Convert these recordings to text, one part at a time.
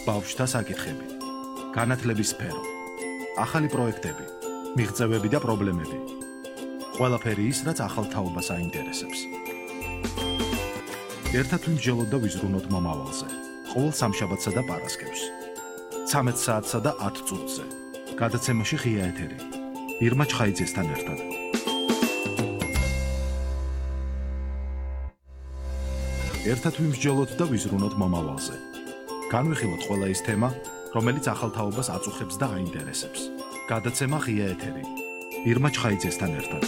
ბავშვთა საკითხები, განათლების სფერო, ახალი პროექტები, მიღწევები და პრობლემები. ყველაფერი ის, რაც ახალ თაობას აინტერესებს. ერთად ვიმსჯელოთ და ვიზრუნოთ მომავალზე. ყოველ სამშაბათსა და პარასკევს. 13 საათსა და 10 წუთზე. გადაცემაში ღია ეთერი. ირმა ჩხაიძესთან ერთად. ერთად ვიმსჯელოთ და ვიზრუნოთ მომავალზე. განვიხილოთ ყველა ის თემა, რომელიც ახალ თაობას აწუხებს და აინტერესებს. გადაცემა ღია ეთერი. ირმა ჩხაიძესთან ერთად.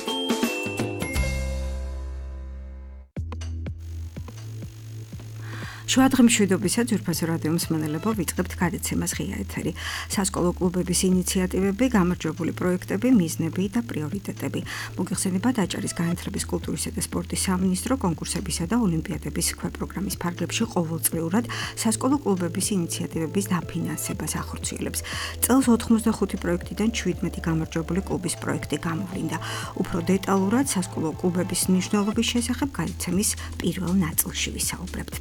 შუადღე მშვიდობისა ძვირფასო რადიო მსმენელებო, ვიწყებთ გადაცემას ღია ეთერი. სასკოლო კლუბების ინიციატივები, გამარჯვებული პროექტები, მიზნები და პრიორიტეტები. მოგიხსენება დაჭერის განათლების, კულტურისა და სპორტის სამინისტრო კონკურსებისა და ოლიმპიადების ქვეპროგრამის ფარგლებში ყოველწლიურად სასკოლო კლუბების ინიციატივების დაფინანსებას ახორციელებს. წელს 85 პროექტიდან 17 გამარჯვებული კლუბის პროექტი გამოვლინდა. უფრო დეტალურად სასკოლო კლუბების მნიშვნელობის შესახებ გადაცემის პირველ ნაწილში ვისაუბრებთ.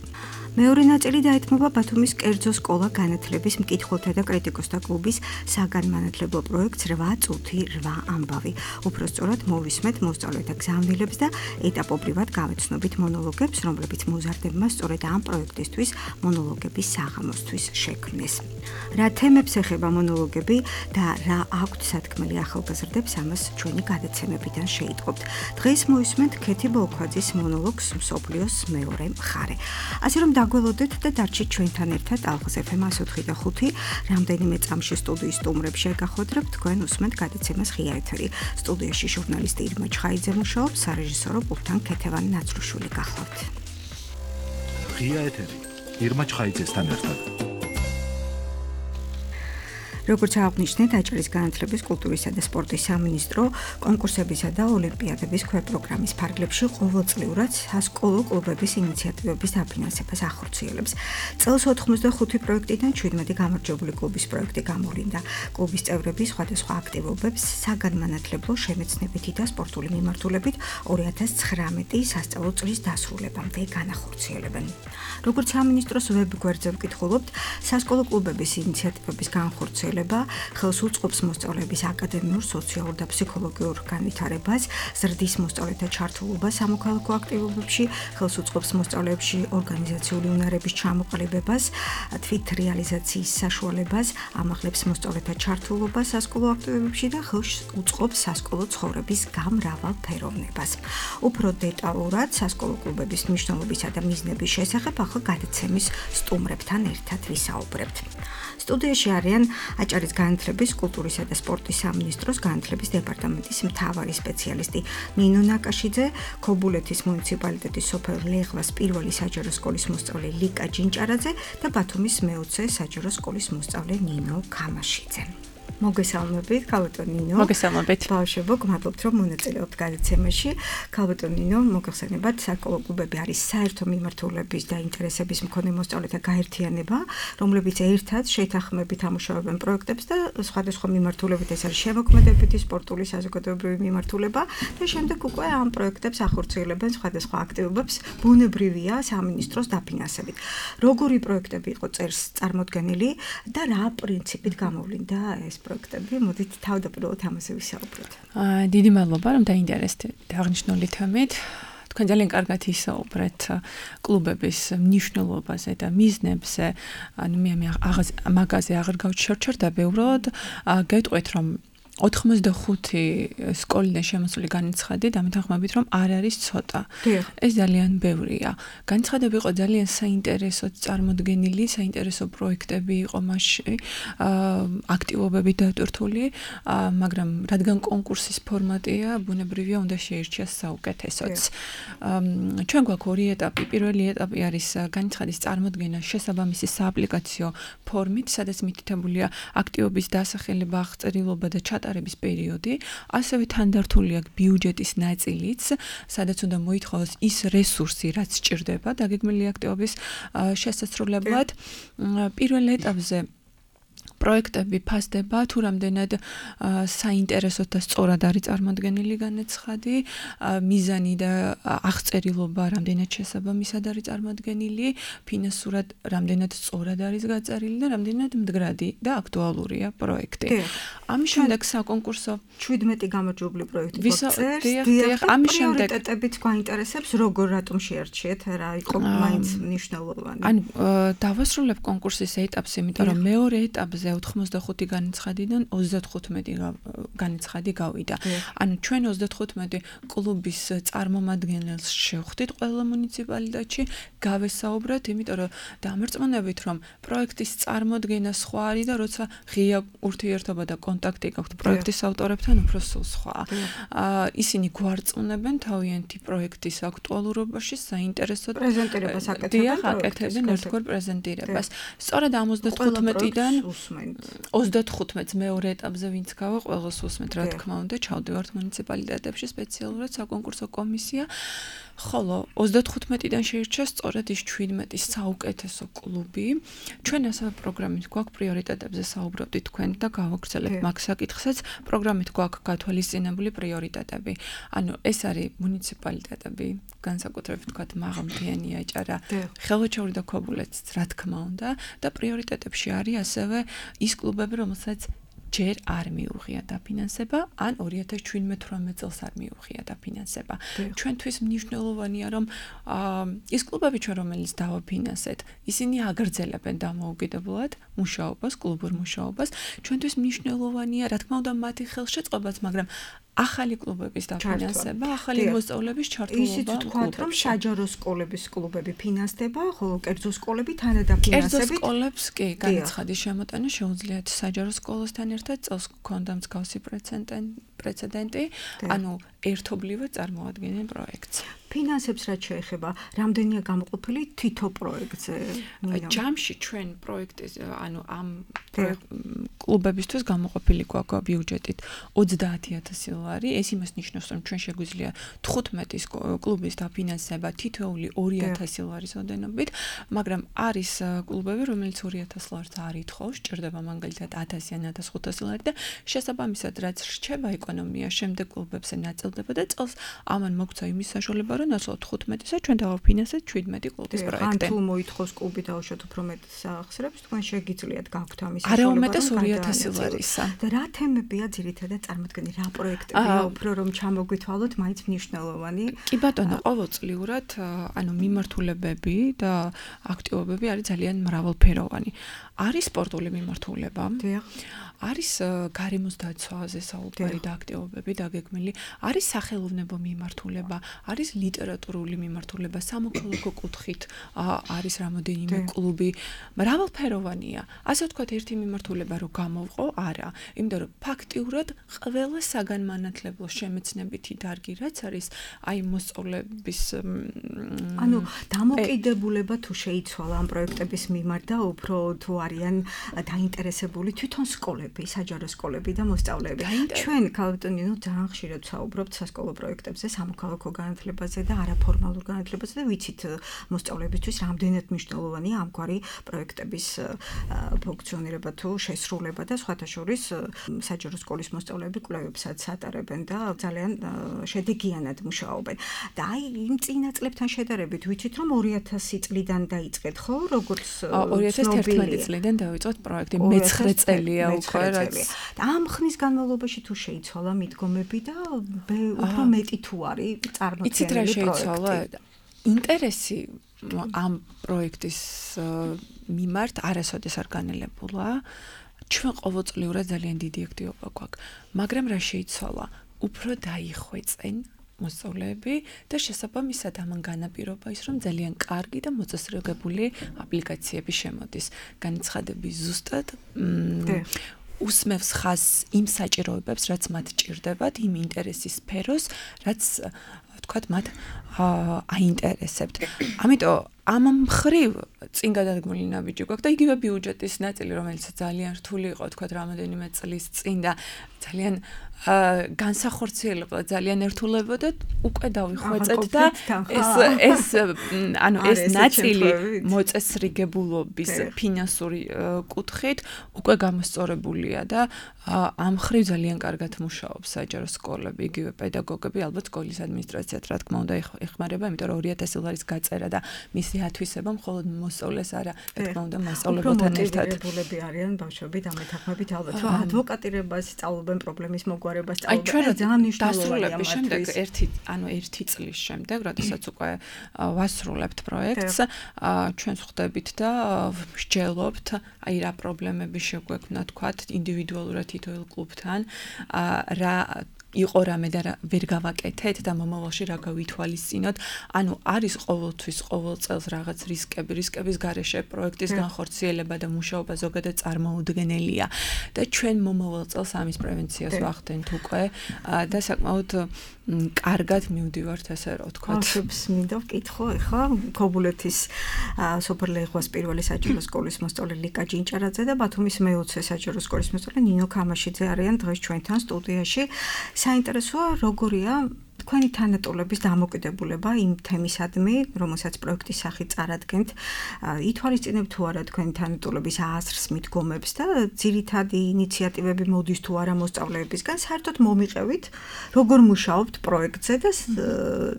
მეორე ნაწილი დაეთმობა ბათუმის კერძო სკოლა განათლების მკითხველთა და კრიტიკოსთა კლუბის საგანმანათლებლო პროექტს 8 წუთი 8 ამბავი. უпростоრად მოვისმეთ მოსწავლეთა გზავნილებს და ეტაპობრივად გავეცნობით მონოლოგებს, რომლებიც მოზარდებმა სწორედ ამ პროექტისთვის მონოლოგების საღამოსთვის შექმნეს. რა თემებს ეხება მონოლოგები და რა აქვთ სათქმელი ახალგაზრდებს, ამას ჩვენი გადაცემებიდან შეიტყობთ. დღეს მოვისმენთ ქეთი ბოლქვაძის მონოლოგს მსოფლიოს მეორე მხარე. ასე რომ დაგველოდეთ და დარჩით ჩვენთან ერთად ალღაზ FM 104.5 რამდენიმე წამში სტუდიის სტუმრებს შეგახოდრებთ, თქვენ უსმენთ გადაცემას ღია ეთერი. სტუდიაში ჟურნალისტი ირმა ჩხაიძე მუშაობს, სარეჟისორო პულტთან ქეთევანი ნაცრუშვილი გახლავთ. ღია ეთერი. ირმა ჩხაიძესთან ერთად. როგორც აღნიშნეთ, დაჭერის განათლების, კულტურისა და სპორტის სამინისტრო კონკურსებისა და ოლიმპიადების ქვეპროგრამის ფარგლებში ყოველწლიურად სასკოლო კლუბების ინიციატივების დაფინანსებას ახორციელებს. წელს 85 პროექტიდან 17 გამარჯვებული კლუბის პროექტი გამოვლინდა. კლუბის წევრები სხვადასხვა აქტივობებს საგანმანათლებლო, შემეცნებითი და სპორტული მიმართულებით 2019 სასწავლო წლის დასრულებამდე განახორციელებენ. როგორც სამინისტროს ვებ-გვერდზე ვკითხულობთ, სასკოლო კლუბების ინიციატივების განხორციელება ხელს უწყობს მოსწავლეების აკადემიურ, სოციალურ და ფსიქოლოგიურ განვითარებას, ზრდის მოსწავლეთა ჩართულობას სამოქალაქო აქტივობებში, ხელს უწყობს მოსწავლეებში ორგანიზაციული უნარების ჩამოყალიბებას, თვით რეალიზაციის საშუალებას, ამაღლებს მოსწავლეთა ჩართულობას სასკოლო აქტივობებში და ხელს უწყობს სასკოლო ცხოვრების გამრავალფეროვნებას. უფრო დეტალურად სასკოლო კლუბების მნიშვნელობისა და მიზნების შესახებ ახლა გადაცემის სტუმრებთან ერთად ვისაუბრებთ. სტუდიაში არიან აჭარის განათლების, კულტურისა და სპორტის სამინისტროს განათლების დეპარტამენტის მთავარი სპეციალისტი ნინო ნაკაშიძე, ქობულეთის მუნიციპალიტეტის სოფელ ლეღვას პირველი საჯარო სკოლის მოსწავლე ლიკა ჯინჭარაძე და ბათუმის მე-20 საჯარო სკოლის მოსწავლე ნინო ქამაშიძე. მოგესალმებით, ქალბატონ ნინო. მოგესალმებით. ბავშვებო, გმადლობთ, რომ მონაწილეობთ გადაცემაში. ქალბატონ ნინო, მოგეხსენებათ, სასკოლო კლუბები არის საერთო მიმართულების და ინტერესების მქონე მოსწავლეთა გაერთიანება, რომლებიც ერთად შეთანხმებით ამუშავებენ პროექტებს და სხვადასხვა მიმართულებით, ეს არის შემოქმედებითი, სპორტული, საზოგადოებრივი მიმართულება და შემდეგ უკვე ამ პროექტებს ახორციელებენ სხვადასხვა აქტივობებს, ბუნებრივია სამინისტროს დაფინანსებით. როგორი პროექტები იყო წერს წარმოდგენილი და რა პრინციპით გამოვლინდა ეს პროექტები? მოდით თავდაპირველად ამაზე ვისაუბროთ. დიდი მადლობა, რომ დაინტერესდით აღნიშნული თემით. თქვენ ძალიან კარგად ისაუბრეთ კლუბების მნიშვნელობაზე და მიზნებზე. ანუ მე მაგაზე აღარ გავჩერჩერდები, უბრალოდ გეტყვით, რომ 85 სკოლიდან შემოსული განცხადი დამეთანხმებით, რომ არ არის ცოტა. ეს ძალიან ბევრია. განცხადები იყო ძალიან საინტერესო წარმოდგენილი, საინტერესო პროექტები იყო მასში, აქტივობები დატვირთული, მაგრამ რადგან კონკურსის ფორმატია, ბუნებრივია უნდა შეირჩიოს საუკეთესოც. ჩვენ გვაქვს ორი ეტაპი. პირველი ეტაპი არის განცხადის წარმოდგენა შესაბამისი სააპლიკაციო ფორმით, სადაც მითითებულია აქტივობის დასახელება, აღწერილობა და ჩატარების პერიოდი, ასევე თანდართული აქვს ბიუჯეტის ნაწილიც, სადაც უნდა მოითხოვოს ის რესურსი, რაც სჭირდება დაგეგმილი აქტივობის შესასრულებლად. პირველ ეტაპზე პროექტები ფასდება, თუ რამდენად საინტერესოდ და სწორად არის წარმოდგენილი განაცხადი, მიზანი და აღწერილობა რამდენად შესაბამისად არის წარმოდგენილი, ფინანსურად რამდენად სწორად არის გაწერილი და რამდენად მდგრადი და აქტუალურია პროექტი. ამის შემდეგ საკონკურსო 17 გამარჯვებული პროექტი გვაქვს. ამის შემდეგ პრიორიტეტებით გვაინტერესებს, როგორ რატომ შეარჩიეთ, რა იყო მაინც მნიშვნელოვანი. ანუ დავასრულებ კონკურსის ეტაპს, იმიტომ რომ მეორე ეტაპზე 85 განაცხადიდან 35 განაცხადი გავიდა. ანუ ჩვენ 35 კლუბის წარმომადგენელს შევხვდით ყველა მუნიციპალიტეტში, გავესაუბრეთ, იმიტომ რომ დამარწმუნებით, რომ პროექტის წარმოდგენა სხვა არის და როცა ღია ურთიერთობა და კონტაქტი გაქვთ პროექტის ავტორებთან, უფრო სულ სხვა. ისინი გვარწმუნებენ თავიანთი პროექტის აქტუალურობაში, საინტერესოდ პრეზენტირებას აკეთებენ ერთგვარ პრეზენტირებას. სწორედ ამ 35-დან 35-ს მეორე ეტაპზე ვინც გავა, ყველას უსმენთ, რა თქმა უნდა, ჩავდივართ მუნიციპალიტეტებში სპეციალურად საკონკურსო კომისია. ხოლო 35-დან შეირჩა სწორედ ის 17 საუკეთესო კლუბი. ჩვენ ასევე პროგრამით გვაქვს პრიორიტეტებზე საუბრობდით თქვენ და გავაგრძელებთ მაგ საკითხსაც. პროგრამით გვაქვს გათვალისწინებული პრიორიტეტები. ანუ ეს არის მუნიციპალიტეტები, განსაკუთრებით ვთქვათ მაღალმთიანი აჭარა, ხელვაჩაური და ქობულეთიც, რა თქმა უნდა, და პრიორიტეტებში არის ასევე ის კლუბები, რომელსაც ჯერ არ მიუღია დაფინანსება, ან 2017-18 წელს არ მიუღია დაფინანსება. ჩვენთვის მნიშვნელოვანია, რომ ის კლუბები ჩვენ რომელიც დავაფინანსეთ, ისინი აგრძელებენ დამოუკიდებლად მუშაობას, კლუბურ მუშაობას. ჩვენთვის მნიშვნელოვანია, რა თქმა უნდა, მათი ხელშეწყობაც, მაგრამ ახალი კლუბების დაფინანსება, ახალი მოსწავლეების ჩართულობა. ისიც ვთქვათ, რომ საჯარო სკოლების კლუბები ფინანსდება, ხოლო კერძო სკოლები თანადაფინანსებით. კერძო სკოლებს კი განაცხადის შემოტანა შეუძლიათ საჯარო სკოლასთან ერთად წელს გქონდა მსგავსი პრეცედენტი, ანუ ერთობლივად წარმოადგენენ პროექტს. ფინანსებს რაც შეეხება, რამდენია გამოყოფილი თითო პროექტზე? ჯამში ჩვენ პროექტის, ანუ ამ კლუბებისთვის გამოყოფილი გვაქვს ბიუჯეტით 30,000 ლარი. ეს იმას ნიშნავს, რომ ჩვენ შეგვიძლია 15 კლუბის დაფინანსება თითოეული 2,000 ლარის ოდენობით, მაგრამ არის კლუბები, რომელიც 2,000 ლარს არ ითხოვს, სჭირდება მაგალითად 1,000 ან 1,500 ლარი და შესაბამისად რაც რჩება ეკონომია, შემდეგ კლუბებზე ნაწილდება და წელს ამან მოგცა იმის საშუალება, რომ ნაცვლად 15-ზე ჩვენ დავაფინანსეთ 17 კლუბის პროექტი. ან თუ მოითხოვს კლუბი დაუშვათ უფრო მეტ სახსრებს, თქვენ შეგიძლიათ გაქვთ ამის საშუალება. არა უმეტეს 2,000 ლარისა. და რა თემებია ძირითადად წარმოდგენილი, რა პროექტებია უფრო რომ ჩამოგვითვალოთ, მაინც მნიშვნელოვანი? კი ბატონო, ყოველწლიურად ანუ მიმართულებები და აქტივობები არის ძალიან მრავალფეროვანი. არის სპორტული მიმართულება. არის გარემოს დაცვაზე საუბარი და აქტივობები დაგეგმილი, არის სახელოვნებო მიმართულება, არის ლიტერატურული მიმართულება, სამოქალაქო კუთხით არის რამოდენიმე კლუბი, მრავალფეროვანია. ასე ვთქვათ, ერთი მიმართულება რო გამოვყო, არა, იმიტომ რომ ფაქტიურად ყველა საგანმანათლებლო შემეცნებითი დარგი რაც არის, აი მოსწავლეების ანუ დამოკიდებულება თუ შეიცვალა ამ პროექტების მიმართ და უფრო თუ არიან დაინტერესებული თვითონ სკოლები, საჯარო სკოლები და მოსწავლეები. ჩვენ ქალბატონინო ძალიან ხშირად ვსაუბრობთ სასკოლო პროექტებზე, სამოქალაქო განათლებაზე და არაფორმალურ განათლებაზე და ვიცით მოსწავლეებისთვის რამდენად მნიშვნელოვანია ამგვარი პროექტების ფუნქციონირება თუ შესრულება და სხვათა შორის საჯარო სკოლის მოსწავლეები კვლევებსაც ატარებენ და ძალიან შედეგიანად მუშაობენ. და აი იმ წინა წლებთან შედარებით ვიცით რომ 2000 წლიდან დაიწყეთ, ხო? როგორც 2011 წლიდან დავიწყეთ პროექტი, მე-9 წელია უკვე რაც. ამ ხნის განმავლობაში თუ შეიცვალა მიდგომები და უფრო მეტი თუ არის წარმოქმნილი პროექტი. ინტერესი ამ პროექტის მიმართ არასოდეს არ განელებულა. ჩვენ ყოველწლიურად ძალიან დიდი აქტივობა გვაქვს, მაგრამ რა შეიცვალა? უფრო დაიხვეწენ მოსწავლეები და შესაბამისად ამან განაპირობა ის, რომ ძალიან კარგი და მოწესრიგებული აპლიკაციები შემოდის. განაცხადები ზუსტად უსმევს ხაზს იმ საჭიროებებს, რაც მათ ჭირდებათ, იმ ინტერესის სფეროს, რაც თქვათ მათ აინტერესებთ. ამიტომ ამ მხრივ წინ გადადგმული ნაბიჯი გვაქვს და იგივე ბიუჯეტის ნაწილი, რომელიც ძალიან რთული იყო, თქვა რამოდენიმე წლის წინ და ძალიან განსახორციელება ძალიან ერთულებოდა, უკვე დავიხვეწეთ და ეს ნაწილი მოწესრიგებულობის ფინანსური კუთხით უკვე გამოსწორებულია და ამ მხრივ ძალიან კარგად მუშაობს საჯარო სკოლები, იგივე პედაგოგები, ალბათ სკოლის ადმინისტრაციაც რა თქმა უნდა ეხმარება, იმიტომ რომ 2000 ლარის გაწერა და მისი ათვისება მხოლოდ მოსწავლეს არა, რა თქმა უნდა მასწავლებელთან ერთად. მოტივირებულები არიან ბავშვები და მეთანხმებით ალბათ რომ ადვოკატირებას სწავლობენ პრობლემის მოგვარებას სწავლობენ. ძალიან მნიშვნელოვანია მასწავლების შემდეგ ერთი წლის შემდეგ, როდესაც უკვე ვასრულებთ პროექტს, ჩვენ ვხვდებით და ვსჯელობთ, აი რა პრობლემები შეგვექმნა, თქვათ, ინდივიდუალურად თითოეულ კლუბთან, რა იყო რამე და ვერ გავაკეთეთ და მომავალში რა გავითვალისწინოთ. ანუ არის ყოველთვის ყოველ წელს რაღაც რისკების გარეშე პროექტის განხორციელება და მუშაობა ზოგადად წარმოუდგენელია და ჩვენ მომავალ წელს ამის პრევენციას ვახდენთ უკვე და საკმაოდ კარგად მივდივართ ასე რა ვთქვათ. ბავშვებს მინდა ვკითხო ახლა ქობულეთის სოფერლეღვას პირველი საჯარო სკოლის მოსწავლე ლიკა ჯინჭარაძე და ბათუმის მე-20 საჯარო სკოლის მოსწავლე ნინო ქამაშიძე არიან დღეს ჩვენთან სტუდიაში. საინტერესოა როგორია თქვენი თანატოლების დამოკიდებულება იმ თემისადმი, რომელსაც პროექტის სახით წარადგენთ. ითვალისწინებთ თუ არა თქვენი თანატოლების აზრს, მიდგომებს და ძირითადი ინიციატივები მოდის თუ არა მოსწავლეებისგან, საერთოდ მომიყევით, როგორ მუშაობთ პროექტზე და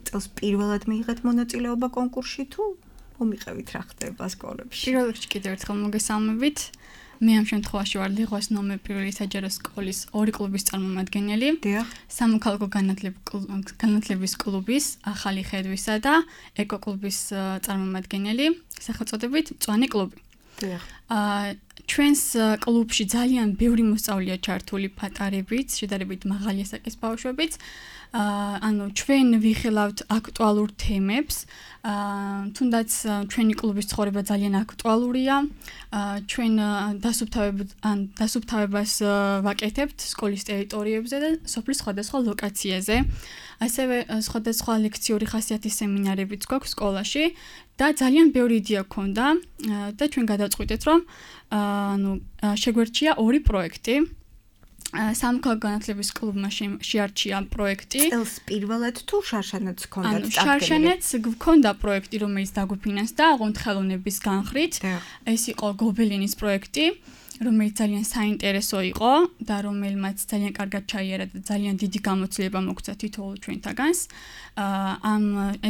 წელს პირველად მიიღეთ მონაწილეობა კონკურსში თუ მომიყევით რა ხდება სკოლებში. პირველ რიგში კიდევ ერთხელ მოგესალმებით. მე ამ შემთხვევაში ვარ ლიღვას ნომერ პირველი საჯარო სკოლის ორი კლუბის წარმომადგენელი. სამოქალაქო განათლების კლუბის ახალი ხედვისა და ეკოკლუბის წარმომადგენელი, სახელწოდებით მწვანე კლუბი. ჩვენს კლუბში ძალიან ბევრი მოსწავლეა ჩართული პატარებით, შედარებით მაღალი ასაკის ბავშვებიც. ანუ ჩვენ ვიხილავთ აქტუალურ თემებს, თუნდაც ჩვენი კლუბის ცხოვრება ძალიან აქტუალურია. ჩვენ დასუფთავებას ვაკეთებთ სკოლის ტერიტორიებზე და სოფლის სხვადასხვა ლოკაციაზე. ასევე სხვადასხვა ლექციური ხასიათის სემინარებიც გვაქვს სკოლაში და ძალიან ბევრი იდეა გქონდა და ჩვენ გადავწყვიტეთ რომ შეგვერჩია ორი პროექტი. სამოქალაქო განათლების კლუბმა შეარჩია პროექტი. წელს პირველად თუ შარშანაც გქონდათ წარდგენილი? შარშანაც გქონდა პროექტი, რომელიც დაგვიფინანსდა აღონთ ხელოვნების განხრით. ეს იყო გობელინის პროექტი, რომელიც ძალიან საინტერესო იყო და რომელმაც ძალიან კარგად ჩაიარა და ძალიან დიდი გამოცდილება მოგცა თითოეულ ჩვენთაგანს.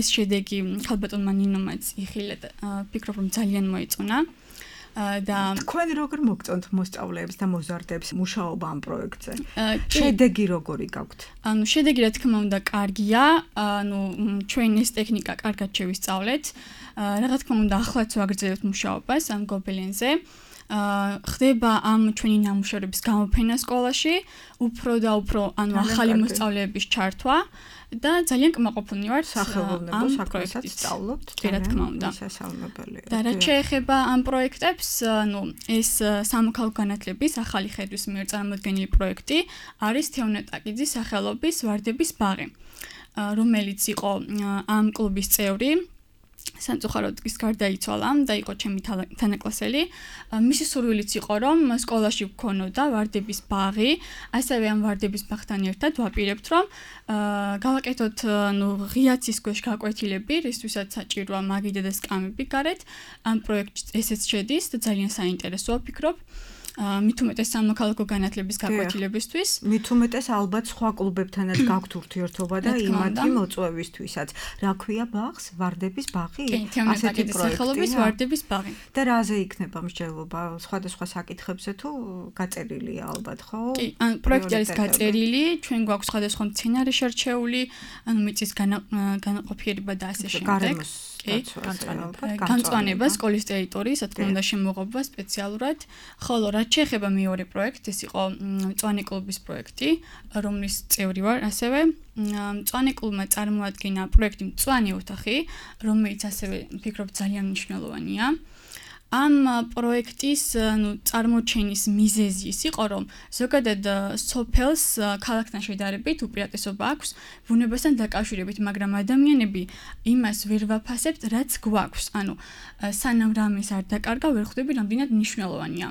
ეს შედეგი ხალბატონმა ნინომაც იხილა და ვფიქრობ რომ ძალიან მოეწონა. და თქვენ როგორ მოგწონთ მოსწავლეებს და მოზარდებს მუშაობა ამ პროექტზე? შედეგი როგორი გაქვთ? ანუ შედეგი რა თქმა უნდა კარგია, ანუ ჩვენ ეს ტექნიკა კარგად შევისწავლეთ. რა თქმა უნდა ახლაც ვაგრძელებთ მუშაობას ამ გობელენზე. ხდება ამ ჩვენი ნამუშევრების გამოფენა სკოლაში, უფრო და უფრო ანუ ახალი მოსწავლეების ჩართვა და ძალიან კმაყოფილნი ვართ სახელოვნებო საქმესაც სწავლობთ. რა თქმა უნდა. შესაძლებელია. და რა შეეხება ამ პროექტებს, ანუ ეს სამოქალაქო განათლების ახალი ხედვის მიერ წარმოდგენილი პროექტი არის თეონა ტაკიძის სახელობის ვარდების ბაღი, რომელიც იყო ამ კლუბის წევრი. სამწუხაროდ ის გარდაიცვალა და იყო ჩემი თანაკლასელი. მისი სურვილიც იყო რომ სკოლაში ვქონოდა ვარდების ბაღი, ასევე ამ ვარდების ბაღთან ერთად ვაპირებთ რომ გავაკეთოთ ღიაცის ქვეშ გაკვეთილები, რისთვისაც საჭიროა მაგიდა და სკამები გარეთ. ამ პროექტში ესეც შედის და ძალიან საინტერესოა ვფიქრობ. მით უმეტეს სამოქალაქო განათლების გაკვეთილებისთვის. მით უმეტეს ალბათ სხვა კლუბებთანაც გაქვთ ურთიერთობა და იმათი მოწვევისთვისაც. რა ქვია ბაღს? ვარდების ბაღი? ასეთი სახელობის ვარდების ბაღი. და რაზე იქნება მსჯელობა? სხვადასხვა საკითხებზე თუ გაწერილია ალბათ, ხო? კი, ან პროექტი არის გაწერილი, ჩვენ გვაქვს სხვადასხვა მცენარე შერჩეული, ანუ მიწის განაყოფიერება და ასე შემდეგ. განწვანება სკოლის ტერიტორიის, რა თქმა უნდა შემოღობა სპეციალურად, ხოლო რაც შეეხება მეორე პროექტს, ეს იყო მწვანე კლუბის პროექტი, რომლის წევრი ვარ, ასევე მწვანე კლუბმა წარმოადგინა პროექტი მწვანე ოთახი, რომელიც ასევე ვფიქრობ ძალიან მნიშვნელოვანია. ამ პროექტის წარმოჩენის მიზეზი ის იყო, რომ ზოგადად სოფელს ქალაქთან შედარებით უპირატესობა აქვს ბუნებასთან დაკავშირებით, მაგრამ ადამიანები იმას ვერ ვაფასებთ, რაც გვაქვს. ანუ სანამ რამეს არ დაკარგა, ვერ ხვდები, რამდენად მნიშვნელოვანია.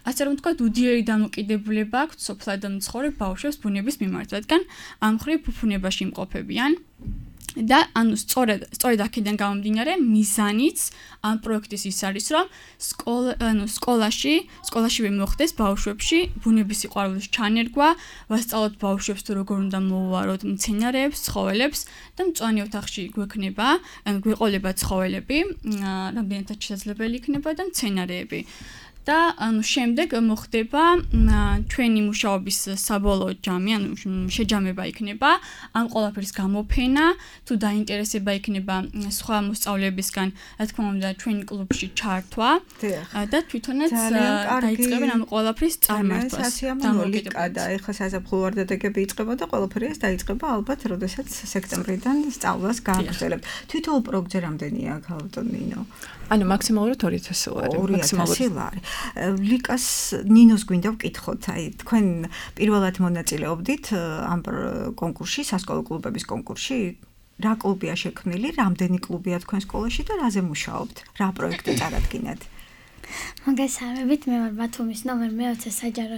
ასე რომ ვთქვათ, უდიერი დამოკიდებულება აქვს სოფლად მცხოვრებ ბავშვებს ბუნების მიმართ, რადგან ამ მხრივ ფუფუნებაში იმყოფებიან. და ანუ სწორედ აქედან გამომდინარე მიზანიც ამ პროექტის ის არის, რომ სკოლაშივე მოხდეს ბავშვებში ბუნების სიყვარულის ჩანერგვა, ვასწავლოთ ბავშვებს თუ როგორ უნდა მოუვაროთ მცენარეებს, ცხოველებს და მწვანე ოთახში გვეყოლება ცხოველები, რამდენადაც შესაძლებელი იქნება და მცენარეები. და შემდეგ მოხდება ჩვენი მუშაობის საბოლოო ჯამი, ანუ შეჯამება იქნება ამ ყველაფრის გამოფენა, თუ დაინტერესება იქნება სხვა მოსწავლეებისგან, რა თქმა უნდა, ჩვენ კლუბში ჩართვა და თვითონაც დაიწყებენ ამ ყველაფრის წარმართვას. და ეხლა საზაფხულო ვარდადეგები იწყება და ყველაფერი ეს დაიწყება ალბათ, როდესაც სექტემბრიდან სწავლას გააგრძელებთ. თვითონ პროგრამზე რამდენია ქალბატონ ნინო? ანუ მაქსიმალურად 2000 ლარი. 2000 ლარი. ლიკას ნინოს გვინდა ვკითხოთ, აი თქვენ პირველად მონაწილეობდით ამ კონკურსში, სასკოლო კლუბების კონკურსში. რა კლუბია შექმნილი, რამდენი კლუბია თქვენ სკოლაში და რაზე მუშაობთ? რა პროექტი წარადგინეთ? მოგესალმებით, მე ვარ ბათუმის ნომერ მე-20 საჯარო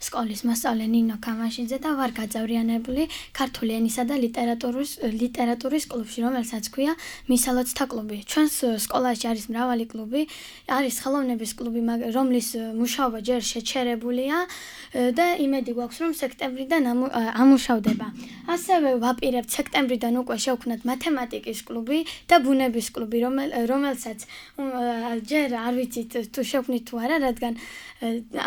სკოლის მოსწავლე ნინო კამაშიძე და ვარ გაძევრიანებული ქართული ენისა და ლიტერატურის კლუბში, რომელსაც ქვია მისალოცთა კლუბი. ჩვენს სკოლაში არის მრავალი კლუბი, არის ხელოვნების კლუბი, რომლის მუშაობა ჯერ შეჩერებულია და იმედი გვაქვს, რომ სექტემბრიდან ამუშავდება. ასევე ვაპირებთ სექტემბრიდან უკვე შევქმნათ მათემატიკის კლუბი და ბუნების კლუბი, რომელსაც ჯერ არ ვიცით თუ შევქმნით თუ არა, რადგან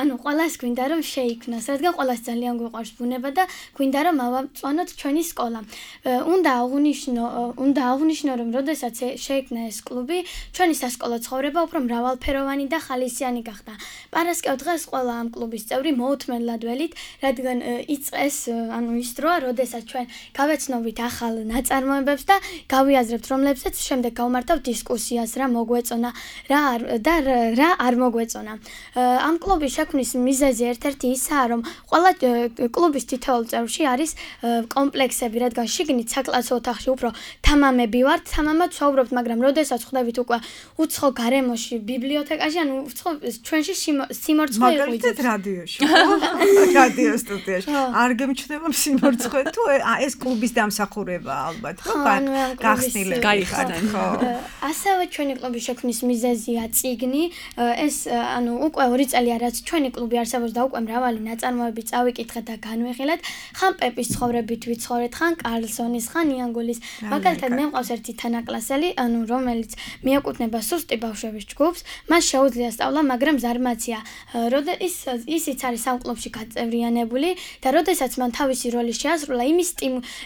ანუ ყველას გვინდა რომ შეიქმნას, რადგან ყველას ძალიან გვიყვარს ბუნება და გვინდა რომ ავამწვანოთ ჩვენი სკოლა. უნდა აღვნიშნო, რომ როდესაც შეიქმნა ეს კლუბი, ჩვენი სასკოლო ცხოვრება უფრო მრავალფეროვანი და ხალისიანი გახდა. პარასკევ დღეს ყველა ამ კლუბის წევრი მოუთმენლად ველით, რადგან იწყეს ანუ ის დროა, როდესაც ჩვენ გავეცნობით ახალ ნაწარმოებებს და გავიაზრებთ, რომლებსაც შემდეგ გავმართავთ დისკუსიას, რა მოგვეწონა, რა არ მოგვეწონა. ამ კლუბის შექმნის მიზეზი ერთ-ერთი ისაა, რომ ყველა კლუბის თითოეულ წევრში არის კომპლექსები, რადგან შიგნით საკლასო ოთახში უფრო თამამები ვართ, თამამად ვსაუბრობთ, მაგრამ როდესაც ხვდებით უკვე უცხო გარემოში, ბიბლიოთეკაში, ანუ უცხო ჩვენში სიმორცხვე იყვით რადიოში. რადიო სტუდიაში. არ გემჩნევა სიმორცხვე თუ ეს კლუბის დამსახურება ალბათ, რომ გახსნილები გაიხსნა. ასევე ჩვენი კლუბის შექმნის მიზეზია წიგნი. ეს ანუ უკვე 2 წელია რაც ჩვენი კლუბი არსებობს და უკვე მრავალი ნაწარმოები წავიკითხეთ და განვიხილეთ. ხან პეპის ცხოვრებით ვიცხოვრეთ, ხან კარლსონის, ხან იანგულის. მაგალითად მე მყავს ერთი თანაკლასელი, ანუ რომელიც მიეკუთვნება სუსტი ბავშვების ჯგუფს, მას შეუძლია სწავლა, მაგრამ ზარმაცია. ისიც არის ამ კლუბში გაწევრიანებული და როდესაც მან თავისი როლი შეასრულა, იმის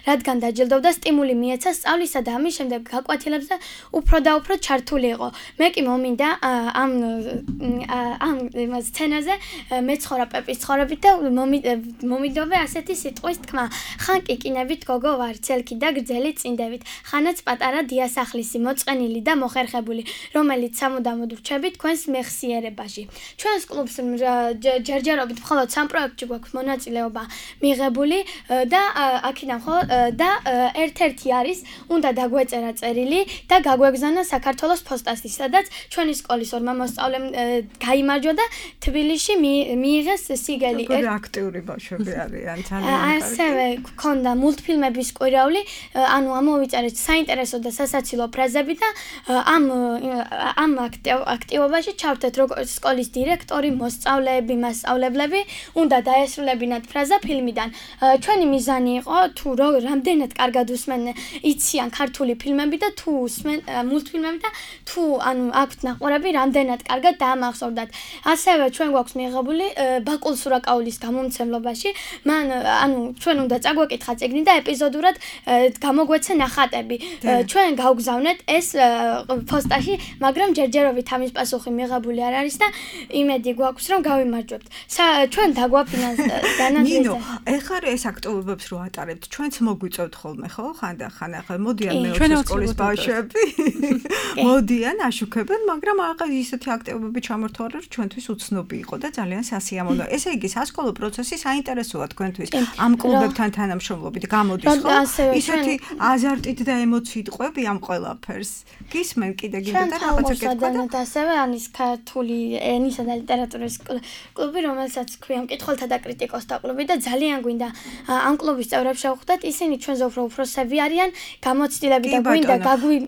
რადგან დაჯილდოვდა, სტიმული მიეცა სწავლისა და ამის შემდეგ გაკვეთილებს და უფრო და უფრო ჩართული იყო. მე კი მომინდა ამ სცენაზე მეცხოვრა პეპის ცხოვრებით და მომიდოვე ასეთი სიტყვის თქმა. ხან კიკინებით გოგო ვარ, ცელკი და გრძელი წინდებით, ხანაც პატარა დიასახლისი, მოწყენილი და მოხერხებული, რომელიც სამუდამოდ ვრჩებით თქვენს მეხსიერებაში. ჩვენს კლუბს ჯერჯერობით მხოლოდ 3 პროექტში გვაქვს მონაწილეობა მიღებული და აქედან და ერთ-ერთი არის უნდა დაგვეწერა წერილი და გაგვეგზავნა საქართველოს ფოსტაში, სადაც ჩვენი სკოლის ორმა მოსწავლემ გაიმარჯვა და თბილისში მიიღეს სიგელი. როგორი აქტიური ბავშვები არიან, ძალიან ასევე გქონდა მულტფილმების კვირაული, ანუ ამოვიწერეთ საინტერესო და სასაცილო ფრაზები და ამ აქტივობაში ჩავთეთ როგორც სკოლის დირექტორი, მოსწავლეები, მასწავლებლები, უნდა დაესრულებინათ ფრაზა ფილმიდან. ჩვენი მიზანი იყო თუ რამდენად კარგად იციან ქართული ფილმები და თუ მულტფილმები და თუ ანუ აქვთ ნაყურები რამდენად კარგად დაამახსოვრდათ. ასევე ჩვენ გვაქვს მიღებული ბაკულ სურაკაულის გამომცემლობაში, მან ანუ ჩვენ უნდა წაგვეკითხა წიგნი და ეპიზოდურად გამოგვეცა ნახატები. ჩვენ გავგზავნეთ ეს ფოსტაში, მაგრამ ჯერჯერობით ამის პასუხი მიღებული არ არის და იმედი გვაქვს რომ გავიმარჯვებთ. ჩვენ დაგვაფინანსდა ნინო, ეხლა ეს აქტივობებს რო ატარებთ, ჩვენც მოგვიწევთ ხოლმე, ხო? ხანდახან ახლა მოდიან მე-20 სკოლის ბავშვები. მოდიან, აშუქებენ, მაგრამ ახლა ისეთი აქტივობები ჩამორთვალე, რომ ჩვენთვის უცნობი იყო და ძალიან სასიამოვნო. ესე იგი, სასკოლო პროცესი საინტერესოა თქვენთვის. ამ კლუბებთან თანამშრომლობით გამოდის ხო? ისეთი აზარტით და ემოციით ყვები ამ ყველაფერს. გისმენ კიდე და რაღაცა კითხვა და ასევე ანის ქართული ენისა და ლიტერატურის კლუბი, რომელსაც ქვია მკითხველთა და კრიტიკოსთა კლუბი და ძალიან გვინდა ამ კლუბის წევრებს შევხვდეთ, ისინი ჩვენზე უფრო უფროსები არიან, გამოცდილები და გვინდა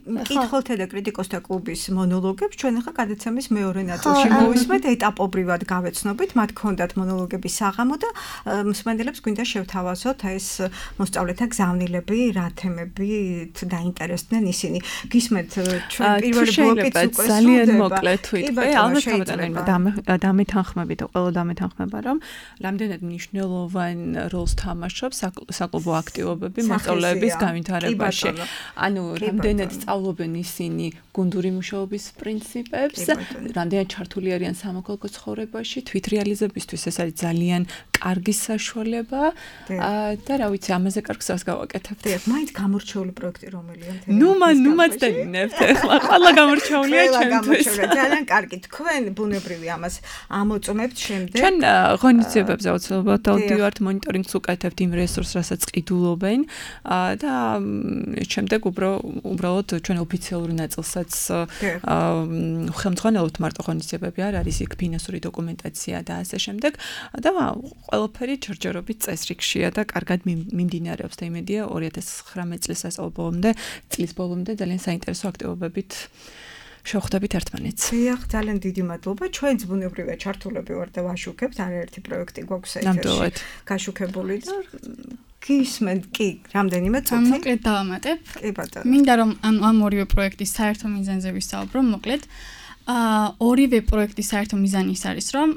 მკითხველთა და კრიტიკოსთა კლუბის მონოლოგებს ჩვენ ახლა გადაცემის მეორე ნაწილში მოვისმენთ, ეტაპობრივად გავეცნობით, მათ ჰქონდათ მონოლოგების საღამო და მსმენელებს გვინდა შევთავაზოთ ეს მოსწავლეთა გზავნილები, რა თემებით დაინტერესდნენ ისინი. გისმენთ ჩვენ პირველი ბლოკიც უკვე ძალიან მოკლედ თვითონ ალბათ დამეთანხმებით და ყველა დამეთანხმება რომ რამდენად მნიშვნელოვან როლს თამაშობს საკლუბო აქტივობები მოსწავლეების განვითარებაში. ანუ რამდენად სწავლობენ ისინი გუნდური მუშაობის პრინციპებს, რამდენად ჩართული არიან სამოქალაქო ცხოვრებაში, თვითრეალიზებისთვის ეს არის ძალიან კარგი საშუალება და რა ვიცი, ამაზე კარგ გზას გავაკეთებთ. მაინც გამორჩეული პროექტი რომელია? ნუ მაცდენინებთ ახლა. ყველა გამორჩეულია ჩვენთვის. ძალიან კარგი. თქვენ ბუნებრივი ამას ამოწმებთ შემდეგ. ჩვენ ღონისძიებებზე აუცილებლად დავდივართ, მონიტორინგს უკეთებთ იმ რესურსს, რასაც ყიდულობენ და შემდეგ უბრალოდ ჩვენ ოფიციალური ნაწილსაც ხელმძღვანელობთ, მარტო ღონისძიებები არ არის, იქ ფინანსური დოკუმენტაცია და ასე შემდეგ და ყველაფერი ჯერჯერობით წესრიგშია და კარგად მიმდინარეობს და იმედია 2019 წლის წლის ბოლომდე ძალიან საინტერესო აქტივობებით შევხვდებით ერთმანეთს. დიახ, ძალიან დიდი მადლობა. ჩვენც ბუნებრივია ჩართულები ვართ და ვაშუქებთ, არაერთი პროექტი გვაქვს ეთერში გაშუქებული და გისმენთ კი, რამდენიმე წუთი. მოკლედ დავამატებ. კი ბატონო. მინდა რომ ამ ორივე პროექტის საერთო მიზანზე ვისაუბრო, მოკლედ. ორივე პროექტის საერთო მიზანი ის არის, რომ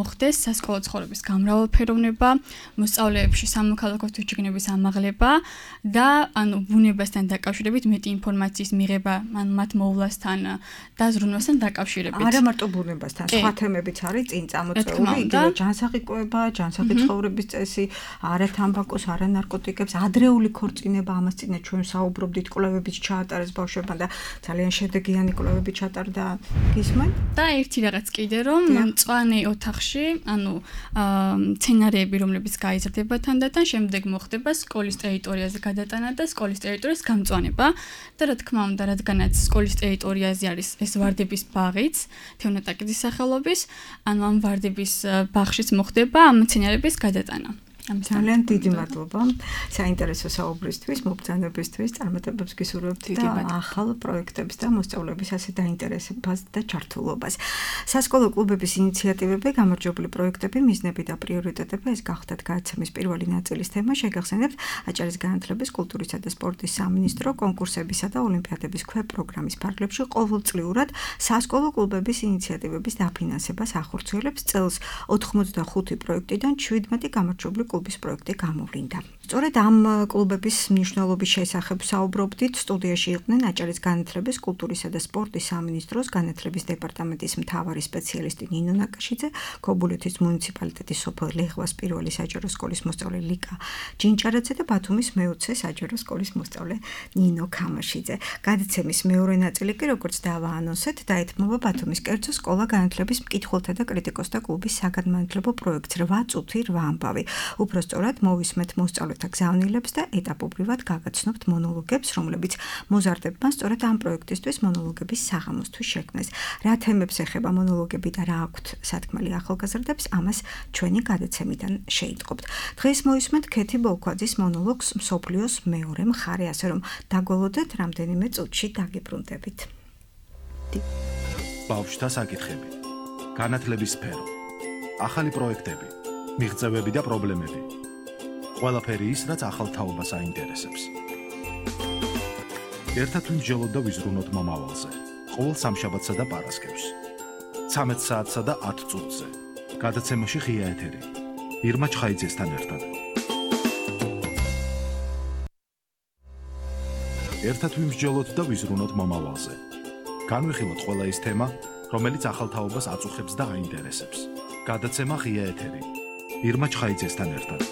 მოხდეს სასკოლო ცხოვრების გამრავალფეროვნება, მოსწავლეებში სამოქალაქო თვითშეგნების ამაღლება და ბუნებასთან დაკავშირებით მეტი ინფორმაციის მიღება, მათ მოვლასთან და ზრუნვასთან დაკავშირებით. არა მარტო ბუნებასთან, სხვა თემებიც არის წინ წამოწეული, იგივე ჯანსაღი ცხოვრების წესი, არა თამბაკოს, არა ნარკოტიკებს, ადრეული ქორწინება, ამას წინა ჩვენ საუბრობდით, კვლევებიც ჩაატარეს ბავშვებმა და ძალიან შედეგიანი კვლევები ჩატარდა. გისმენ? და ერთი რაღაც კიდე რომ მწვანე ოთახში, სცენარები, რომლებიც გაიზრდება თანდათან, შემდეგ მოხდება სკოლის ტერიტორიაზე გადატანა და სკოლის ტერიტორიის გამწვანება. და რა თქმა უნდა, რადგანაც სკოლის ტერიტორიაზე არის ეს ვარდების ბაღიც, თეონატაკიძის სახელობის, ამ ვარდების ბაღშიც მოხდება ამ სცენარების გადატანა. ძალიან დიდი მადლობა საინტერესო საუბრისთვის, მობრძანებისთვის, წარმატებებს გისურვებთ და ახალ პროექტებს და მოსწავლეების ასე დაინტერესებას და ჩართულობას. სასკოლო კლუბების ინიციატივები, გამარჯვებული პროექტები, მიზნები და პრიორიტეტები ეს გახდათ გადაცემის პირველი ნაწილის თემა. შეგახსენებთ აჭარის განათლების, კულტურისა და სპორტის სამინისტრო კონკურსებისა და ოლიმპიადების ქვეპროგრამის ფარგლებში ყოველწლიურად სასკოლო კლუბების ინიციატივების დაფინანსებას ახორციელებს. წელს 85 პროექტიდან 17 გამარჯვებული კლუბის პროექტი გამოვლინდა. სწორედ ამ კლუბების მნიშვნელობის შესახებ საუბრობდით. სტუდიაში იყვნენ აჭარის განათლების, კულტურისა და სპორტის სამინისტროს განათლების დეპარტამენტის მთავარი სპეციალისტი ნინო ნაკაშიძე, ქობულეთის მუნიციპალიტეტის სოფელ ლეღვას პირველი საჯარო სკოლის მოსწავლე ლიკა ჯინჭარაძე და ბათუმის მე-20 საჯარო სკოლის მოსწავლე ნინო ქამაშიძე. გადაცემის მეორე ნაწილი კი როგორც დავაანონსეთ, დაეთმობა ბათუმის კერძო სკოლა განათლების მკითხველთა და კრიტიკოსთა კლუბის საგანმანათლებლო პროექტს 8 წუთი 8 ამბავი. უпростоრად მოვისმენთ მოსწავლეთა გზავნილებს და ეტაპობრივად გაგაცნობთ მონოლოგებს, რომლებიც მოზარდებმა სწორედ ამ პროექტისთვის მონოლოგების საღამოსთვის შექმნეს. რა თემებს ეხება მონოლოგები და რა აქვთ სათქმელი ახალგაზრდებს, ამას ჩვენი გადაცემიდან შეიტყობთ. დღეს მოვისმენთ ქეთი ბოლქვაძის მონოლოგს მსოფლიოს მეორე მხარე, ასე რომ დაგველოდეთ რამდენიმე წუთში დაგიბრუნდებით. ბავშვთა საკითხები, განათლების სფერო, ახალი პროექტები, მიღწევები და პრობლემები. ყველაფერი ის, რაც ახალ თაობას აინტერესებს. ერთად ვიმსჯელოთ და ვიზრუნოთ მომავალზე. ყოველ სამშაბათსა და პარასკევს. 13 საათსა და 10 წუთზე. გადაცემაში ღია ეთერი. ირმა ჩხაიძესთან ერთად. ერთად ვიმსჯელოთ და ვიზრუნოთ მომავალზე. განვიხილოთ ყველა ის თემა, რომელიც ახალ თაობას აწუხებს და აინტერესებს. გადაცემა ღია ეთერი. ირმა ჩხაიძესთან ერთად.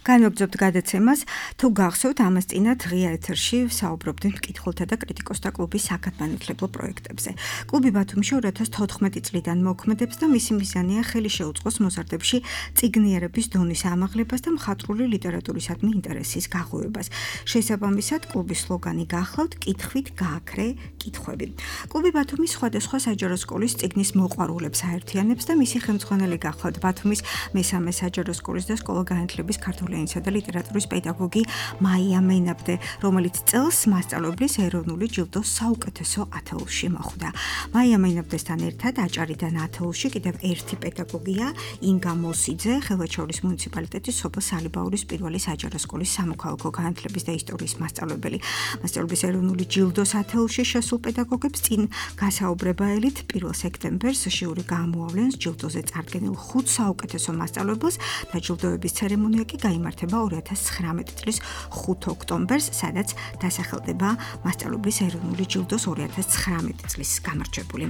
განვაგრძობთ გადაცემას, თუ გახსოვთ, ამას წინათ ღია ეთერში საუბრობდნენ მკითხველთა და კრიტიკოსთა კლუბის საგანმანათლებლო პროექტებზე. კლუბი ბათუმში 2014 წლიდან მოქმედებს და მისი მიზანია ხელი შეუწყოს მოზარდებში წიგნიერების დონის ამაღლებას და მხატვრული ლიტერატურისადმი ინტერესის გაღვივებას. შესაბამისად, კლუბის სლოგანი გახლავთ კითხვით გააქრე კითხვები. კლუბი ბათუმის სხვადასხვა საჯარო სკოლის წიგნის მოყვარულებს აერთიანებს და მისი ხელმძღვანელი გახლავთ ბათუმის მესამე საჯარო სკოლის და სკოლა-განათლების ქართული ენისა და ლიტერატურის პედაგოგი მაია მენაბდე, რომელიც წელს მასწავლებლის ეროვნული ჯილდოს საუკეთესო ათეულში მოხვდა. მაია მენაბდესთან ერთად აჭარიდან ათეულში კიდევ ერთი პედაგოგია, ინგა მოსიძე, ხელვაჩაურის მუნიციპალიტეტის სოფელ სალიბაურის პირველი საჯარო სკოლის სამოქალაქო განათლების და ისტორიის მასწავლებელი. მასწავლების ეროვნული ჯილდოს ათეულში შესულ პედაგოგებს წინ გასაუბრებელით 1 სექტემბერს ჟიური გამოავლენს ჯილდოზე წარდგენილ 5 საუკეთესო მასწავლებელს და ჯილდოების ცერემონია კი გაიმართება 2019 წლის 5 ოქტომბერს, სადაც დასახელდება მასწავლებლის ეროვნული ჯილდოს 2019 წლის გამარჯვებული.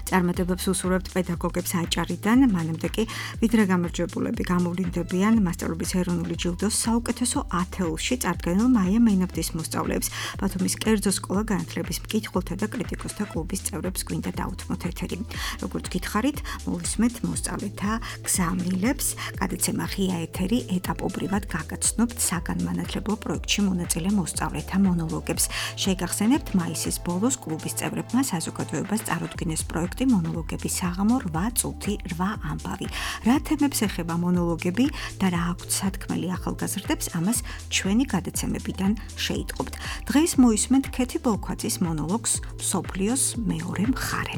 წარმატებებს უსურვებთ პედაგოგებს აჭარიდან, მანამდე კი ვიდრე გამარჯვებულები გამოვლინდებიან მასწავლების ეროვნული ჯილდოს საუკეთესო ათეულში წარდგენილ მაია მენაბდის მოსწავლეებს. ბათუმის კერძო სკოლა-განათლების მკითხველთა და კრიტიკოსთა კლუბის წევრებს გვინდა დაუთმოთ ეთერი. როგორც გითხარით, მოვისმენთ მოსწავლეთა გზავნილებს. გადაცემა ღია ეთერი ეტაპობრივად გაგაცნობთ საგანმანათლებლო პროექტში მონაწილე მოსწავლეთა მონოლოგებს. შეგახსენებთ, მაისის ბოლოს კლუბის წევრებმა საზოგადოებას წარუდგინეს პროექტი მონოლოგების საღამო 8 წუთი 8 ამბავი. რა თემებს ეხება მონოლოგები და რა აქვთ სათქმელი ახალგაზრდებს, ამას ჩვენი გადაცემებიდან შეიტყობთ. დღეს მოისმენთ ქეთი ბოლქვაძის მონოლოგს მსოფლიოს მეორე მხარე.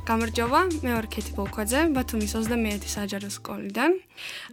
გამარჯობა, მე ვარ ქეთი ბოლქვაძე, ბათუმის 21 საჯარო სკოლიდან.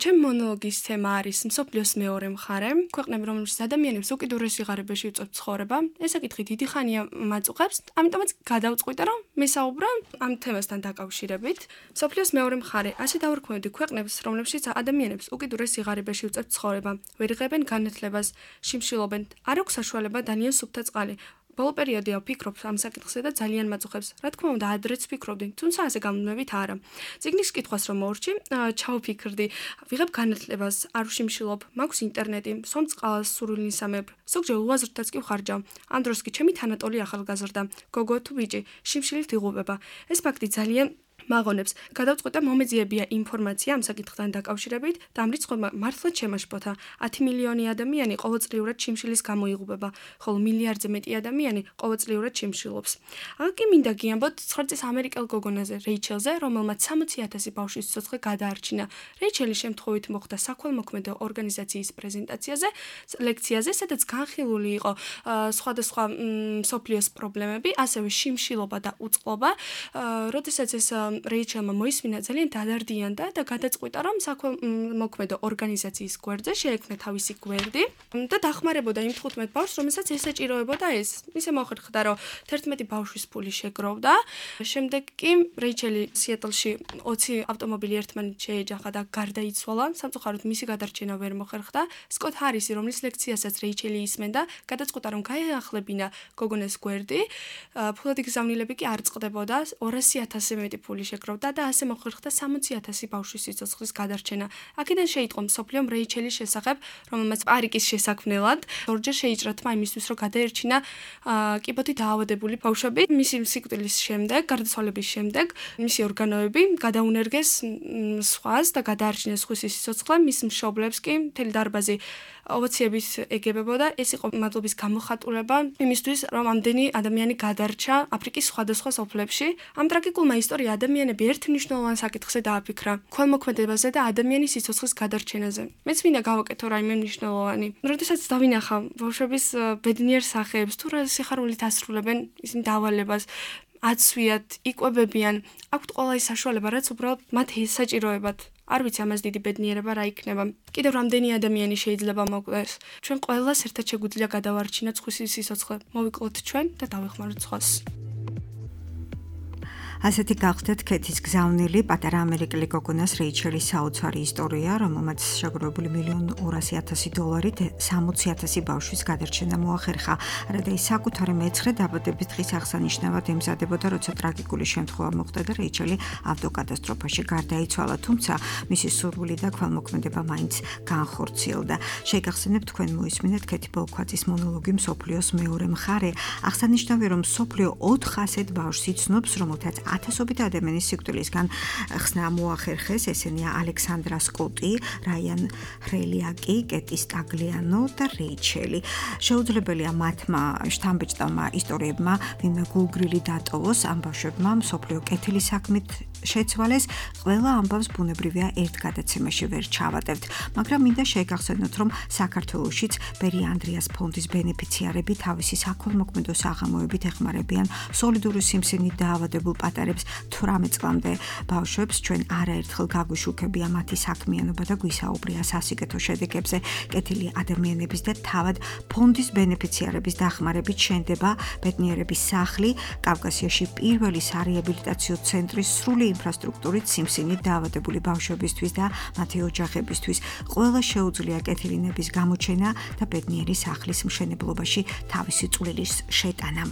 ჩემი მონოლოგის თემა არის მსოფლიოს მეორე მხარე, ქვეყნები, რომელშიც ადამიანებს უკიდურეს სიღარიბეში უწევთ ცხოვრება. ეს საკითხი დიდი ხანია მაწუხებს, ამიტომაც გადავწყვიტე, რომ მესაუბრა ამ თემასთან დაკავშირებით. მსოფლიოს მეორე მხარე, ასე დავარქმევდი ქვეყნებს, რომლებშიც ადამიანებს უკიდურეს სიღარიბეში უწევთ ცხოვრება, ვერ იღებენ განათლებას, შიმშილობენ, არ აქვს საშუალება დანიენ სუფთა წყალი. ბოლო პერიოდია ვფიქრობ ამ საკითხზე და ძალიან მაძუხებს. რა თქმა უნდა, ადრეც ვფიქრობდი, თუმცა ასე გამომნებით არა. წიგნის კითხვას რომ მოვრჩი, ჩავფიქრდი, ვიღებ განათლებას, არ ვშიმშილობ, მაქვს ინტერნეტი, სვამ წყალს, სურვილისამებრ, ზოგჯერ უაზრდაც კი ვხარჯავ. ამ დროს კი ჩემი თანატოლი ახალგაზრდა, გოგო თუ ბიჭი, შიმშილით იღუპება. ეს ფაქტი ძალიან მაღონებს. გადავწყვიტე მომეძიებია ინფორმაცია ამ საკითხთან დაკავშირებით და ამ რიცხვმა მართლაც შემაშფოთა. 10 მილიონი ადამიანი ყოველწლიურად შიმშილის გამო იღუპება, ხოლო მილიარდზე მეტი ადამიანი ყოველწლიურად შიმშილობს. აქ მინდა გიამბოთ 9 წლის ამერიკელ გოგონაზე, რეიჩელზე, რომელმაც 60,000 ბავშვის სიცოცხლე გადაარჩინა. რეიჩელი შემთხვევით მოხვდა საქველმოქმედო ორგანიზაციის პრეზენტაციაზე, ლექციაზე, სადაც განხილული იყო სხვადასხვა მსოფლიოს პრობლემები, ასევე შიმშილობა და უწყლობა. როდესაც ეს რეიჩელმა მოისმინა, ძალიან დადარდიანდა და გადაწყვიტა, რომ საქველმოქმედო ორგანიზაციის გვერდზე შეექმნა თავისი გვერდი და დახმარებოდა იმ 15 ბავშვს, რომელსაც ესაჭიროებოდა ეს. ისე მოხერხდა, რომ 11 ბავშვის ფული შეგროვდა. შემდეგ კი რეიჩელი სიეტლში 20 ავტომობილი ერთმანეთს შეეჯახა და გარდაიცვალა. სამწუხაროდ მისი გადარჩენა ვერ მოხერხდა. სკოტ ჰარისი, რომლის ლექციასაც რეიჩელი ისმენდა, გადაწყვიტა, რომ გაეახლებინა გოგონას გვერდი. ფულადი გზავნილები კი არ წყდებოდა, 200,000-ზე მეტი ფული შეგროვდა და ასე მოხერხდა 60,000 ბავშვის სიცოცხლის გადარჩენა. აქედან შეიტყო მსოფლიომ რეიჩელის შესახებ, რომელმაც პარიკის შესაქმნელად ორჯერ შეიჭრა თმა იმისთვის, რომ გადაერჩინა კიბოთი დაავადებული ბავშვები. მისი სიკვდილის შემდეგ, გარდაცვალების შემდეგ, მისი ორგანოები გადაუნერგეს სხვას და გადაარჩინეს სხვისი სიცოცხლე, მის მშობლებს კი მთელი დარბაზი ოვაციებით ეგებებოდა. ეს იყო მადლობის გამოხატულება იმისთვის, რომ ამდენი ადამიანი გადარჩა აფრიკის სხვადასხვა სოფლებში. ამ ტრაგიკულმა ისტორია ადამიანები ერთ მნიშვნელოვან საკითხზე დააფიქრა, ქველმოქმედებაზე და ადამიანის სიცოცხლის გადარჩენაზე. მეც მინდა გავაკეთო რაიმე მნიშვნელოვანი. როდესაც დავინახავ ბავშვების ბედნიერ სახეებს, თუ რა სიხარულით ასრულებენ ისინი დავალებას, აცვიათ, იკვებებიან, აქვთ ყველა ის საშუალება, რაც უბრალოდ მათ ესაჭიროებათ. არ ვიცი ამას დიდი ბედნიერება რა იქნება. კიდევ რამდენი ადამიანი შეიძლება მოკვდეს. ჩვენ ყველას ერთად შეგვიძლია გადავარჩინოთ სხვისი სიცოცხლე. მოვიკლოთ ჩვენ და დავეხმაროთ სხვას. ასეთი გახდეთ ქეთის გზავნილი პატარა ამერიკელი გოგონას რეიჩელის საოცარი ისტორია, რომელმაც შეგროვებული $1,200,000-ით 60,000 ბავშვის გადარჩენა მოახერხა. რადა ის საკუთარი მეცხრე დაბადების დღის აღსანიშნავად ემზადებოდა, როცა ტრაგიკული შემთხვევა მოხდა და რეიჩელი ავტოკატასტროფაში გარდაიცვალა, თუმცა მისი სურვილი და ქველმოქმედება მაინც განხორციელდა. შეგახსენებთ თქვენ მოისმინეთ ქეთი ბოლქვაძის მონოლოგი მსოფლიოს მეორე მხარე. აღსანიშნავია, რომ მსოფლიო 4 ასეთ ბავშვს იცნობს, რომელთაც ათასობით ადამიანის სიკვდილისგან ხსნა მოახერხეს. ესენია ალექსანდრა სკოტი, რაიან ხრელიაკი, კეტი სტაგლიანო და რეიჩელი. შეუძლებელია მათმა შთამბეჭდავმა ისტორიებმა ვინმე გულგრილი დატოვოს, ამ ბავშვებმა მსოფლიო კეთილი საქმით შეცვალეს. ყველა ამბავს ბუნებრივია ერთ გადაცემაში ვერ ჩავატევთ, მაგრამ მინდა შეგახსენოთ, რომ საქართველოშიც ბერი ანდრიას ფონდის ბენეფიციარები თავისი საქველმოქმედო საღამოებით ეხმარებიან სოლიდური სიმსივნით დაავადებულ პატარებს 18 წლამდე ბავშვებს. ჩვენ არაერთხელ გაგვიშუქებია მათი საქმიანობა და გვისაუბრია სასიკეთო შედეგებზე. კეთილი ადამიანების და თავად ფონდის ბენეფიციარების დახმარებით შენდება ბედნიერების სახლი, კავკასიაში პირველი სარეაბილიტაციო ცენტრი სრული ინფრასტრუქტურით სიმსივნით დაავადებული ბავშვებისთვის და მათი ოჯახებისთვის. ყველა შეუძლია კეთილინების გამოჩენა და ბედნიერი სახლის მშენებლობაში თავისი წვლილის შეტანა.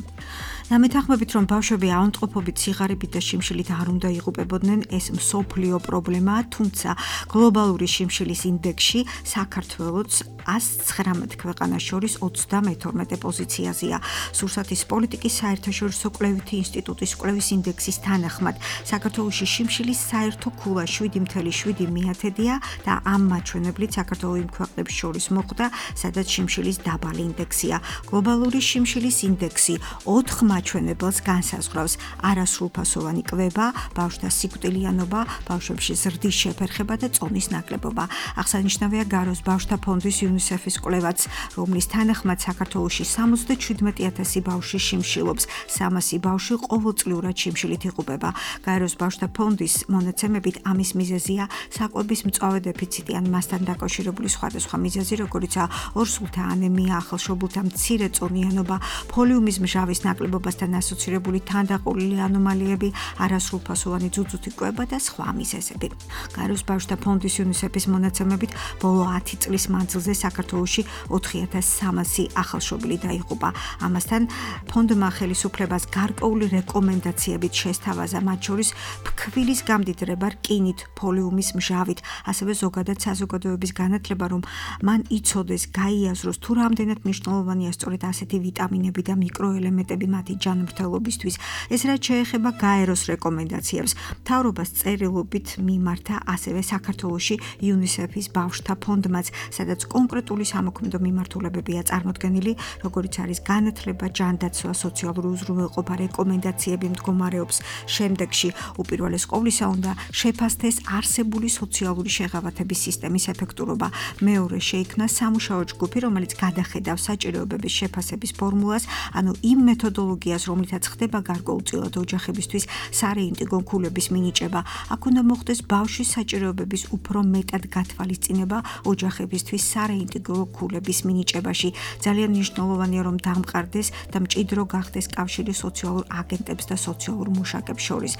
დამეთანხმებით, რომ ბავშვები ავადმყოფობით, სიღარიბით და შიმშილით არ უნდა იღუპებოდნენ, ეს მსოფლიო პრობლემაა, თუმცა გლობალური შიმშილის ინდექსში საქართველოც 119 ქვეყანას შორის 32 პოზიციაზეა. სურსათის პოლიტიკის საერთაშორისო კვლევითი ინსტიტუტის კვლევის ინდექსის თანახმად, საქართველოში შიმშილის საერთო ქულა 7,7%-ია და ამ მაჩვენებლით საქართველო იმ ქვეყნებს შორის მოხვდა, სადაც შიმშილის დაბალი ინდექსია. გლობალური შიმშილის ინდექსი 4 მაჩვენებელს განსაზღვრავს: არასრულფასოვანი კვება, ბავშვთა სიკვდილიანობა, ბავშვებში ზრდის შეფერხება და წონის ნაკლებობა. აღსანიშნავია გაროს ბავშვთა ფონდის UNICEF-ის კვლევაც, რომლის თანახმად საქართველოში 77,000 ბავშვი შიმშილობს, 300 ბავშვი ყოველწლიურად შიმშილით იღუპება. გაეროს ბავშვთა ფონდის მონაცემებით ამის მიზეზია საკვების მწვავე დეფიციტი ან მასთან დაკავშირებული სხვადასხვა მიზეზი, როგორიცაა ორსულთა ანემია, ახალშობილთა მცირე წონიანობა, ფოლიუმის მჟავის ნაკლებობასთან ასოცირებული თანდაყოლილი ანომალიები, არასრულფასოვანი ძუძუთი კვება და სხვა მიზეზები. გაეროს ბავშვთა ფონდის UNICEF-ის მონაცემებით ბოლო 10 წლის მანძილზე საქართველოში 4,300 ახალშობილი დაიღუპა. ამასთან ფონდმა ხელისუფლებას გარკვეული რეკომენდაციებით შესთავაზა, მათ შორის ფქვილის გამდიდრება რკინით, ფოლიუმის მჟავით, ასევე ზოგადად საზოგადოების განათლება, რომ მან იცოდეს, გაიაზროს თუ რამდენად მნიშვნელოვანია სწორედ ასეთი ვიტამინები და მიკროელემენტები მათი ჯანმრთელობისთვის. ეს რაც შეეხება გაეროს რეკომენდაციებს, მთავრობას წერილობით მიმართა ასევე საქართველოში UNICEF-ის ბავშვთა ფონდმაც, სადაც კონკრეტული სამოქმედო მიმართულებებია წარმოდგენილი, როგორიც არის განათლება, ჯანდაცვა, სოციალური უზრუნველყოფა, რეკომენდაციები მდგომარეობს შემდეგში. უპირველეს ყოვლისა უნდა შეფასდეს არსებული სოციალური შეღავათების სისტემის ეფექტურობა. მეორე შეიქმნა სამუშაო ჯგუფი, რომელიც გადახედავს საჭიროებების შეფასების ფორმულას, ანუ იმ მეთოდოლოგიას, რომლითაც ხდება გარკვეულწილად ოჯახებისთვის სარეინტეგრო ქულების მინიჭება. აქ უნდა მოხდეს ბავშვის საჭიროებების უფრო მეტად გათვალისწინება ოჯახებისთვის სარეინტეგრო ქულების მინიჭებაში. ძალიან მნიშვნელოვანია, რომ დამყარდეს და მჭიდრო გახდეს კავშირი სოციალურ აგენტებს და სოციალურ მუშაკებს შორის.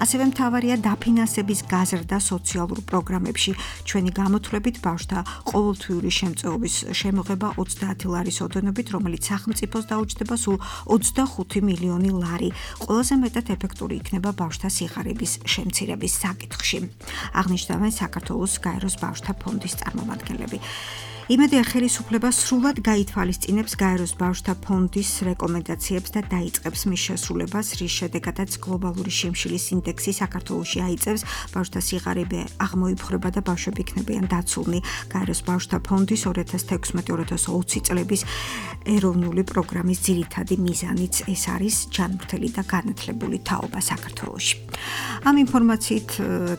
ასევე მთავარია დაფინანსების გაზრდა სოციალურ პროგრამებში. ჩვენი გამოთვლებით ბავშვთა ყოველთვიური შემწეობის შემოღება 30 ლარის ოდენობით, რომელიც სახელმწიფოს დაუჯდება სულ 25 მილიონი ლარი. ყველაზე მეტად ეფექტური იქნება ბავშვთა სიხარების შემცირების საკითხში. აღნიშნავენ საქართველოს გაეროს ბავშვთა ფონდის წარმომადგენლები. იმედია ხელისუფლება სრულად გაითვალისწინებს გაეროს ბავშვთა ფონდის რეკომენდაციებს და დაიწყებს მის შესრულებას, რის შედეგადაც გლობალური შიმშილის ინდექსი საქართველოში აიწევს, ბავშვთა სიღარიბე აღმოიფხვრება და ბავშვები იქნებიან დაცულნი. გაეროს ბავშვთა ფონდის 2016-2020 წლების ეროვნული პროგრამის ძირითადი მიზანიც ეს არის ჯანმრთელი და განათლებული თაობა საქართველოში. ამ ინფორმაციით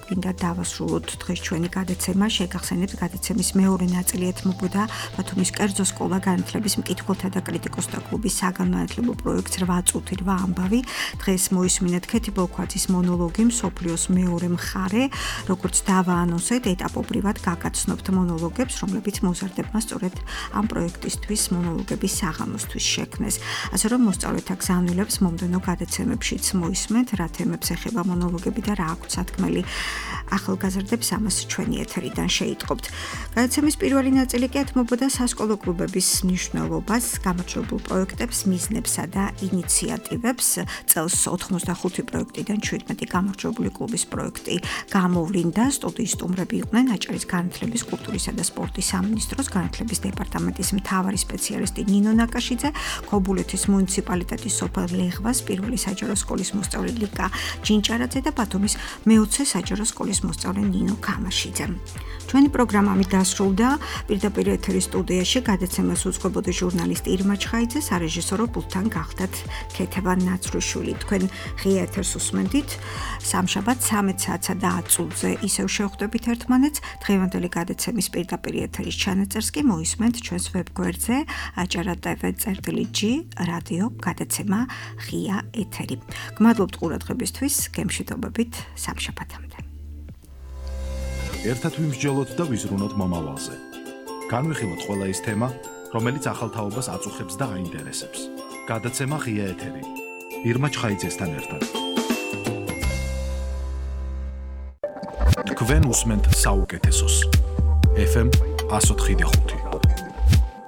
გვინდა დავასრულოთ დღეს ჩვენი გადაცემა. შეგახსენებთ გადაცემის მეორე ნაწილი ეთმობა ემსახურებოდა ბათუმის კერძო სკოლა განათლების მკითხველთა და კრიტიკოსთა კლუბის საგანმანათლებლო პროექტს 8 წუთი 8 ამბავი. დღეს მოისმინეთ ქეთი ბოლქვაძის მონოლოგი მსოფლიოს მეორე მხარე, როგორც დავაანონსეთ ეტაპობრივად გაგაცნობთ მონოლოგებს, რომლებიც მოზარდებმა სწორედ ამ პროექტისთვის მონოლოგების საღამოსთვის შექმნეს. ასე რომ მოსწავლეთა გზავნილებს მომდევნო გადაცემებშიც მოისმენთ, რა თემებს ეხება მონოლოგები და რა აქვთ სათქმელი ახალგაზრდებს, ამას ჩვენი ეთერიდან შეიტყობთ. გადაცემის პირველი ნაწილი კი ეთმობოდა სასკოლო კლუბების მნიშვნელობას, გამარჯვებულ პროექტებს, მიზნებსა და ინიციატივებს. წელს 85 პროექტიდან 17 გამარჯვებული კლუბის პროექტი გამოვლინდა. სტუდიის სტუმრები იყვნენ აჭარის განათლების, კულტურისა და სპორტის სამინისტროს განათლების დეპარტამენტის მთავარი სპეციალისტი ნინო ნაკაშიძე, ქობულეთის მუნიციპალიტეტის სოფელ ლეღვას პირველი საჯარო სკოლის მოსწავლე ლიკა ჯინჭარაძე და ბათუმის მე-20 საჯარო სკოლის მოსწავლე ნინო ქამაშიძე. ჩვენი პროგრამა ამით დასრულდა. პირდაპირ ეთერის სტუდიაში გადაცემას უძღვებოდა ჟურნალისტი ირმა ჩხაიძე, სარეჟისორო პულტთან გახდათ ქეთევან ნაცრუშვილი. თქვენ ღია ეთერს უსმენდით. სამშაბათ 13 საათსა და 10 წუთზე ისევ შევხვდებით ერთმანეთს. დღევანდელი გადაცემის პირდაპირ ეთერის ჩანაწერს კი მოისმენთ ჩვენს ვებგვერდზე acara.tv/g რადიო გადაცემა ღია ეთერი. გმადლობთ ყურადღებისთვის, გემშვიდობებით სამშაბათამდე. ერთად ვიმსჯელოთ და ვიზრუნოთ მომავალზე. განვიხილოთ ყველა ის თემა, რომელიც ახალ თაობას აწუხებს და აინტერესებს. გადაცემა ღია ეთერი. ირმა ჩხაიძესთან ერთად. თქვენ უსმენთ საუკეთესოს. FM 104.5